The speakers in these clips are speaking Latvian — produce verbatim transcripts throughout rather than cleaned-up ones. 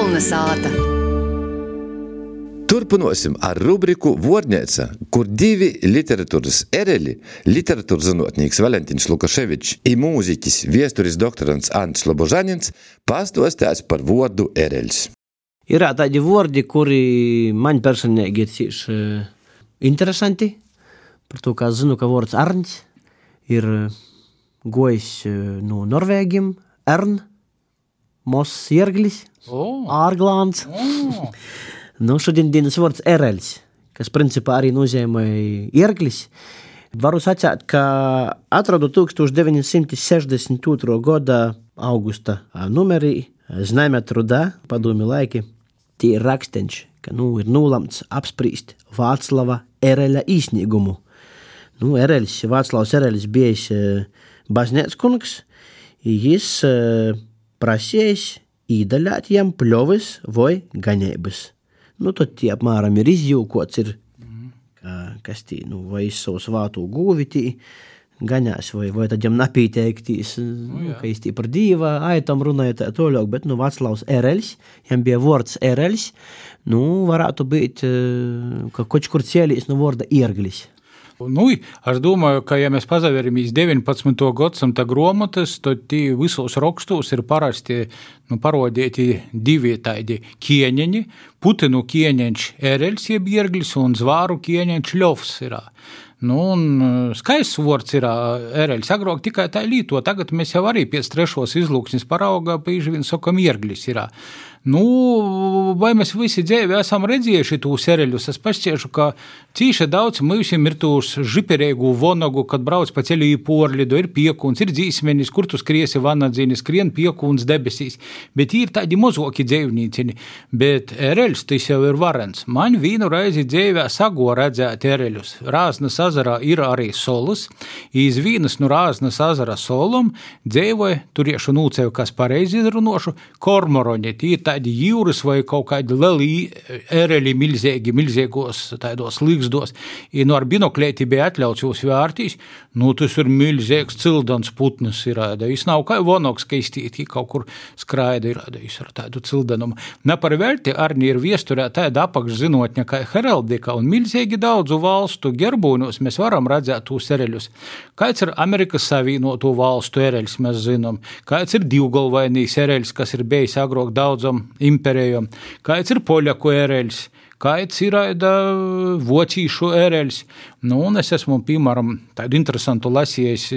Melna sāta. Turpinosim ar rubriku Vuorneica, kur divi literatūras ereli, literatūras zinotnīgs Valentiņš Lukaševičs i mūziķis viesturis doktorants Ants Lobožanins pastostās par vuordu ereļs. Ir tādi vuordi, kuri man personīgi ir cīši interesanti. Par to, kā zinu, ka vuords Arņs ir gojis no Norvēgiem, Ern, Mos Jerglis, oh. Ārglāns. Oh. Nu, šodien dienas vuords ereļs, kas principā arī nozīmē ierglis. Varu sacēt, ka atradu tūkstoš deviņi simti sešdesmit otrā gada augusta numerī Znaimē trudā, padomi laiki, tie ir raksteņš, ka nu, ir nūlamts apsprīst Vāclava ereļa īsnīgumu. Nu, ereļs, Vāclavs ereļs bijis baznēckungs, jis prasījis īdaļāt jam pļovis vai gaņēbas. Nu, tad tie apmēram ir izjūkots, ir, ka, kas tī, nu, vai izsavus vātu gūvi tī gaņās, vai, vai tad jam napīteiktīs, nu, ka jis tī par dīva aitam runāja tā toļok, bet, nu, Vaclavs ereļs, jam bija vuords ereļs, nu, varētu būt, ka koč kur cielīs no vuorda ierglis. Nu, es domāju, ka, ja mēs pazaveramies deviņpadsmito gadsimta gromotas, tad tī visos rokstos ir parasti nu, parodēti divi tādi kieņeņi, Putinu kieņeņš ereļs, jeb ierglis, un zvāru kieņeņš ļovs ir. Nu, un skaists vuords ir ereļs, agrāk tikai tā līto, tagad mēs jau arī pēc trešos izlūksnis paraugā, pīži vien sokam ierglis ir. Nu, vai mēs visi dzīvi esam redzējuši tūs ereļus, es pašķiešu, ka cīši daudz mūsim ir tūs žiperēgu vonogu, kad brauc pa ceļu į porlidu, ir piekuns, ir dzīsmenis, kur tu skriesi vanadzīnis, skrien piekuns debesīs, bet ir tādi mozoki dzīvnīcini, bet ereļs tas jau ir varens. Man vīnu reizi dzīvē sago redzēt ereļus. Rāznas azarā ir arī solas, iz vīnas nu Rāznas azara solom dzīvoja, turiešu nūceju, kas pareizi izrunošu, kormoroņi, tī tādi jūras vai kaut kādi leli ereļi milzēgi, milzēgos tādos līgzdos, i nu ar binoklēti bija atļauts jūs vērtīs, nu tas ir milzēgs cildans putnis ir, jis nav kā vonoks, ka iztīti kaut kur skraida ir, jis ar tādu cildanumu. Ne par velti arī ir viesturē tāda apakšzinotņa kā heraldika un milzēgi daudzu valstu gerbūņos mēs varam redzēt tūs ereļus. Kāds ir Amerikas Savienoto valstu ereļs, mēs zinām, kāds ir divgalvainīs ereļs, kas ir bijis agrāk daudzam imperijom, kāds ir poļaku ereļs, kāds ir aida vocīšu ereļs. Nu, un es esmu, piemēram, tādu interesantu lasījis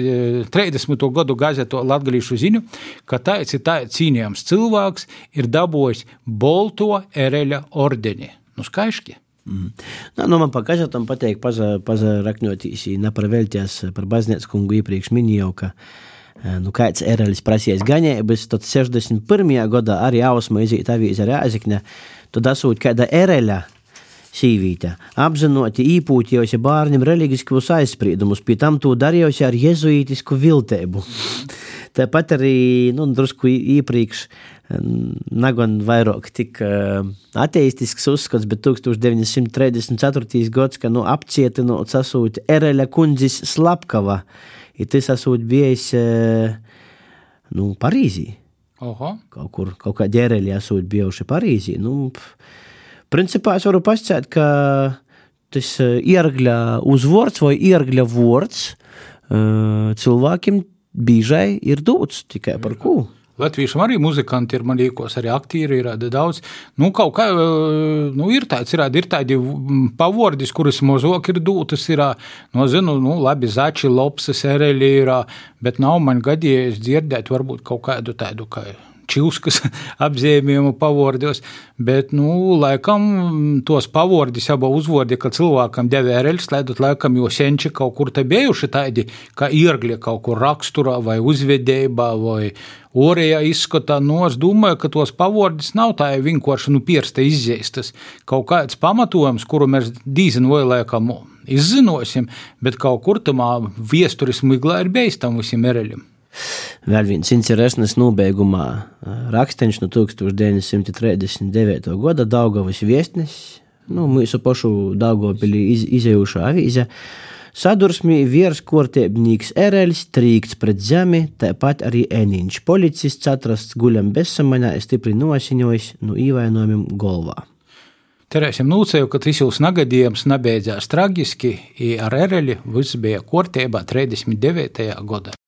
trīsdesmito gadu gazeto Latgalīšu ziņu, ka tāds ir tāds cīnījams cilvēks ir dabojis bolto ereļa ordeni. Nu, skaiški. Mm. Nu, nu, man pa gazetam pateik paza, paza rakņotīs, neparvēlties par baznēckungu iepriekš minēju, ka nu, kāds ereļs prasījis gaņēbas, tad sešdesmit pirmajā gadā arī Ausma izīt avīze Rēzekne, tad asūt kāda ereļa sīvīte, apzinoti īpūtījose bārņam reliģiskos aizspriedumus, pie tam to darījusi ar jezuītisku viltēbu. Tāpat arī, nu, drusku iepriekš nagon vairāk tik ateistisks uzskats, bet tūkstoš deviņi simti trīsdesmit ceturtais gads, ka, nu, apcietinot asūt ereļa kundzis Slapkava, i tas asūt bijis, nu, Parīzī. Oho. Kaut kur, kaut kā ģereļi asūt bijuši Parīzī. Nu, principā es varu pascēt, ka tas iergļa uzvords vai iergļa vords cilvēkiem bīžai ir dūts, tikai par ko. Latvīšam arī muzikanti ir, man līkos, arī aktīri ir daudz. Nu, kaut kā, nu, ir tāds, ir, ir tādi pavordis, kuras mozok ir dūtas, ir, no, zinu, nu, labi, zači, lopsas, ereļi ir, bet nav man gadījies dzirdēt varbūt kaut kādu tādu, kā čilskas apzīmējumu pavordos, bet, nu, laikam tos pavordis aba uzvordi, ka cilvēkam deva ereļs, laidot laikam jo senči kaut kur te bijuši tādi, kā iergļi kaut kur raksturā vai uzvedībā vai orējā izskatā. Nu, es domāju, ka tos pavordis nav tā vienkārši, nu, piersta izzeistas. Kaut kāds pamatojums, kuru mēs dīzin vai laikam izzinosim, bet kaut kur tamā viesturis miglā ir bijis tam visiem ereļiem. Vēl viens interesants nobeigumā raksteņš no tūkstoš deviņi simti trīsdesmit devītā gada Daugavas viestnes, nu, mūsu pašu Daugavpilī iz, izējušā avīze. Sadursmī vierskortiebnīks Ereļs trīkts pret zemi, tāpat arī Eniņš. Policists atrasts guļam bezsamaņā, stipri nosiņojis no īvainojumiem golvā. Terēsim nūcēju, ka tas jūs nagadījums nabeidzās tragiski, i ar Ereļi viss bija kortībā trīsdesmit devītajā godā.